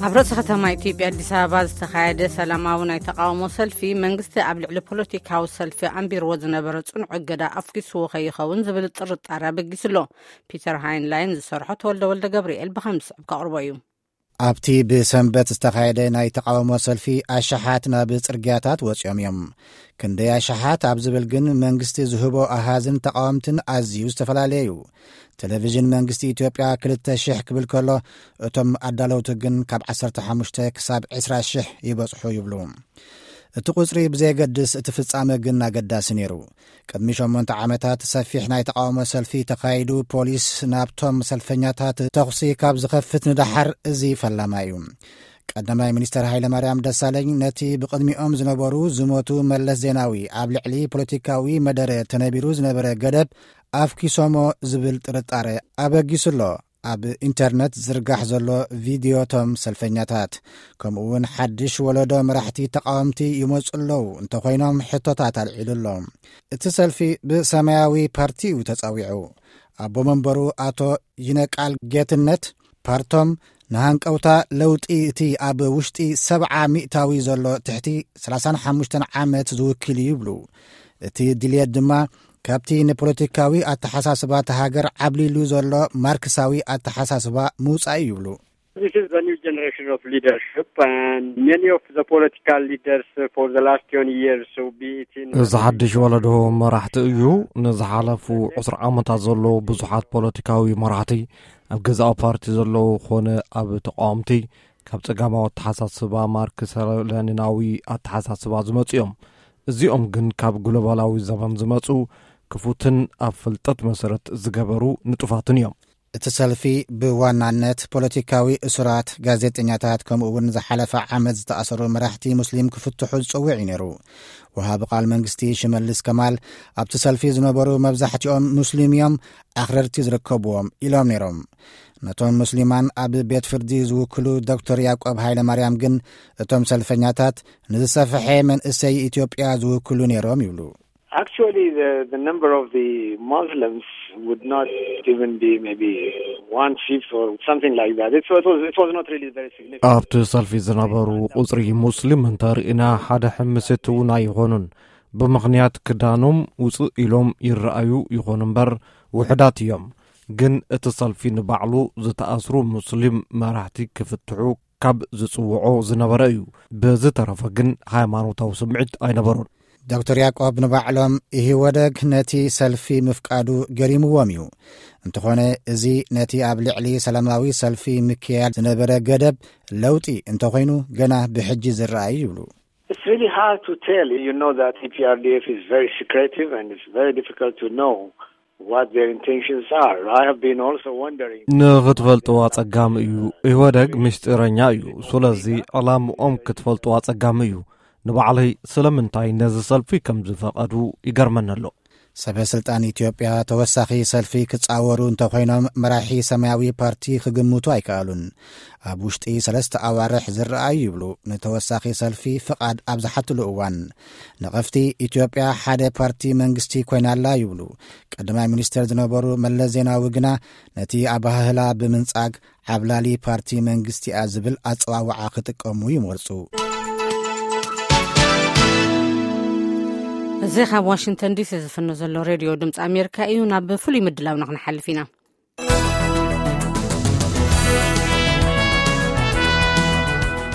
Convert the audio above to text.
ኣብ ርእሲ ከተማ ኢትዮጵያ ኣዲስ ኣበባ ዝተኻየደ ሰላማዊ ናይ ተቃውሞ ሰልፊ፣ መንግስቲ ኣብ ልዕሊ ፖለቲካዊ ሰልፊ ኣንቢርዎ ዝነበረ ጽኑዕ እገዳ ኣፍኪስዎ ከይኸውን ዝብል ጥርጣረ ኣበጊሱ ኣሎ። ፒተር ሃይንላይን ዝሰርሖ ተወልደ ወልደ ገብርኤል ብኸምዚ ዝስዕብ ከቕርቦ እዩ። ኣብቲ ብሰንበት ዝተኻየደ ናይ ተቃውሞ ሰልፊ፣ ኣሽሓት ናብ ጽርግያታት ወጺኦም እዮም። ክንደይ ኣሽሓት ኣብ ዝብል ግን፣ መንግስቲ ዝህቦ ኣሃዝን ተቃወምትን ኣዝዩ ዝተፈላለየ እዩ። ቴሌቪዥን መንግስቲ ኢትዮጵያ ክልተ ሽሕ ክብል ከሎ፣ እቶም ኣዳለውቲ ግን ካብ ዓሰርተ ሓሙሽተ ክሳብ ዕስራ ሽሕ ይበጽሑ ይብሉ። እቲ ቁጽሪ ብዘየገድስ፣ እቲ ፍጻመ ግን ኣገዳሲ ነይሩ። ቅድሚ ሸሞንተ ዓመታት ሰፊሕ ናይ ተቃውሞ ሰልፊ ተኻይዱ፣ ፖሊስ ናብቶም ሰልፈኛታት ተኹሲ ካብ ዝኸፍት ንደሓር፣ እዚ ፈላማይ እዩ። ቀዳማይ ሚኒስተር ሃይለማርያም ደሳለኝ፣ ነቲ ብቕድሚኦም ዝነበሩ ዝሞቱ መለስ ዜናዊ ኣብ ልዕሊ ፖለቲካዊ መደረ ተነቢሩ ዝነበረ ገደብ ኣፍኪሶሞ ዝብል ጥርጣረ ኣበጊሱ ኣሎ። ኣብ ኢንተርነት ዝርጋሕ ዘሎ ቪድዮ፣ እቶም ሰልፈኛታት፣ ከምኡ እውን ሓድሽ ወለዶ መራሕቲ ተቃወምቲ ይመጹ ኣለዉ እንተኾይኖም፣ ሕቶታት ኣልዒሉ ኣሎ። እቲ ሰልፊ ብሰማያዊ ፓርቲ እዩ ተጸዊዑ። ኣቦ መንበሩ ኣቶ ይነቃል ጌትነት፣ ፓርቶም ንሃንቀውታ ለውጢ፣ እቲ ኣብ ውሽጢ ሰብዓ ሚእታዊ ዘሎ ትሕቲ ሰላሳን ሓሙሽተን ዓመት ዝውክል እዩ ይብሉ። እቲ ድልየት ድማ ካብቲ ንፖለቲካዊ ኣተሓሳስባ እታ ሃገር ዓብሊሉ ዘሎ ማርክሳዊ ኣተሓሳስባ ምውጻእ እዩ ይብሉ። This is the new generation of leadership, and many of the political leaders for the last twenty years, so be it in እዚ ሓድሽ ወለዶ መራሕቲ እዩ። ንዝሓለፉ ዕስራ ዓመታት ዘለዉ ብዙሓት ፖለቲካዊ መራሕቲ፣ ኣብ ገዛኢ ፓርቲ ዘለዉ ኾነ ኣብ ተቃወምቲ፣ ካብ ጸጋማዊ ኣተሓሳስባ ማርክስ ለኒናዊ ኣተሓሳስባ ዝመጹ እዮም። እዚኦም ግን ካብ ግሎባላዊ ዘመን ዝመጹ፣ ክፉትን ኣብ ፍልጠት መሰረት ዝገበሩ ንጡፋትን እዮም። እቲ ሰልፊ ብዋናነት ፖለቲካዊ እሱራት፣ ጋዜጠኛታት፣ ከምኡ እውን ዝሓለፈ ዓመት ዝተኣሰሩ መራሕቲ ሙስሊም ክፍትሑ ዝጽውዕ እዩ ነይሩ። ወሃቢ ቃል መንግስቲ ሽመልስ ከማል፣ ኣብቲ ሰልፊ ዝነበሩ መብዛሕትኦም ሙስሊም እዮም፣ ኣኽረርቲ ዝርከብዎም ኢሎም ነይሮም። ነቶም ሙስሊማን ኣብ ቤት ፍርዲ ዝውክሉ ዶክተር ያዕቆብ ሃይለማርያም ግን፣ እቶም ሰልፈኛታት ንዝሰፍሐ መንእሰይ ኢትዮጵያ ዝውክሉ ነይሮም ይብሉ። Actually, the, the number of the Muslims would not even be maybe one fifth or something like that. It, so it was, it was not really very significant. ኣብቲ ሰልፊ ዝነበሩ ቁጽሪ ሙስሊም እንተርኢና፣ ሓደ ሕምሲት እውን ኣይኾኑን። ብምኽንያት ክዳኖም ውፅእ ኢሎም ይረኣዩ ይኾኑ እምበር፣ ውሕዳት እዮም። ግን እቲ ሰልፊ ንባዕሉ ዝተኣስሩ ሙስሊም መራሕቲ ክፍትሑ ካብ ዝጽውዖ ዝነበረ እዩ። ብዝተረፈ ግን ሃይማኖታዊ ስምዒት ኣይነበሮን። ዶክተር ያዕቆብ ንባዕሎም፣ ኢህወደግ ነቲ ሰልፊ ምፍቃዱ ገሪምዎም እዩ። እንተኾነ፣ እዚ ነቲ ኣብ ልዕሊ ሰላማዊ ሰልፊ ምክያድ ዝነበረ ገደብ ለውጢ እንተኾይኑ፣ ገና ብሕጂ ዝረኣይ ይብሉ። It's really hard to tell. You know that E P R D F is very secretive and it's very difficult to know what their intentions are. I have been also wondering. ንኽትፈልጥዎ ኣጸጋሚ እዩ። ኢህወደግ ምስጢረኛ እዩ። ስለዚ ዕላምኦም ክትፈልጥዎ ኣጸጋሚ እዩ። ንባዕለይ ስለምንታይ ነዚ ሰልፊ ከም ዝፈቐዱ ይገርመኒ ኣሎ። ሰበ ስልጣን ኢትዮጵያ ተወሳኺ ሰልፊ ክጻወሩ እንተኾይኖም፣ መራሒ ሰማያዊ ፓርቲ ክግምቱ ኣይከኣሉን። ኣብ ውሽጢ ሰለስተ ኣዋርሕ ዝረኣዩ ይብሉ፣ ንተወሳኺ ሰልፊ ፍቓድ ኣብ ዝሓትሉ እዋን። ነቐፍቲ፣ ኢትዮጵያ ሓደ ፓርቲ መንግስቲ ኮይና ኣላ ይብሉ። ቀዳማይ ሚኒስተር ዝነበሩ መለስ ዜናዊ ግና፣ ነቲ ኣባህህላ ብምንጻግ፣ ዓብላሊ ፓርቲ መንግስቲኣ ዝብል ኣጸዋውዓ ክጥቀሙ ይመርጹ። እዚ ካብ ዋሽንግተን ዲሲ ዝፍኖ ዘሎ ሬድዮ ድምፂ ኣሜሪካ እዩ። ናብ ፍሉይ ምድላውና ክንሓልፍ ኢና።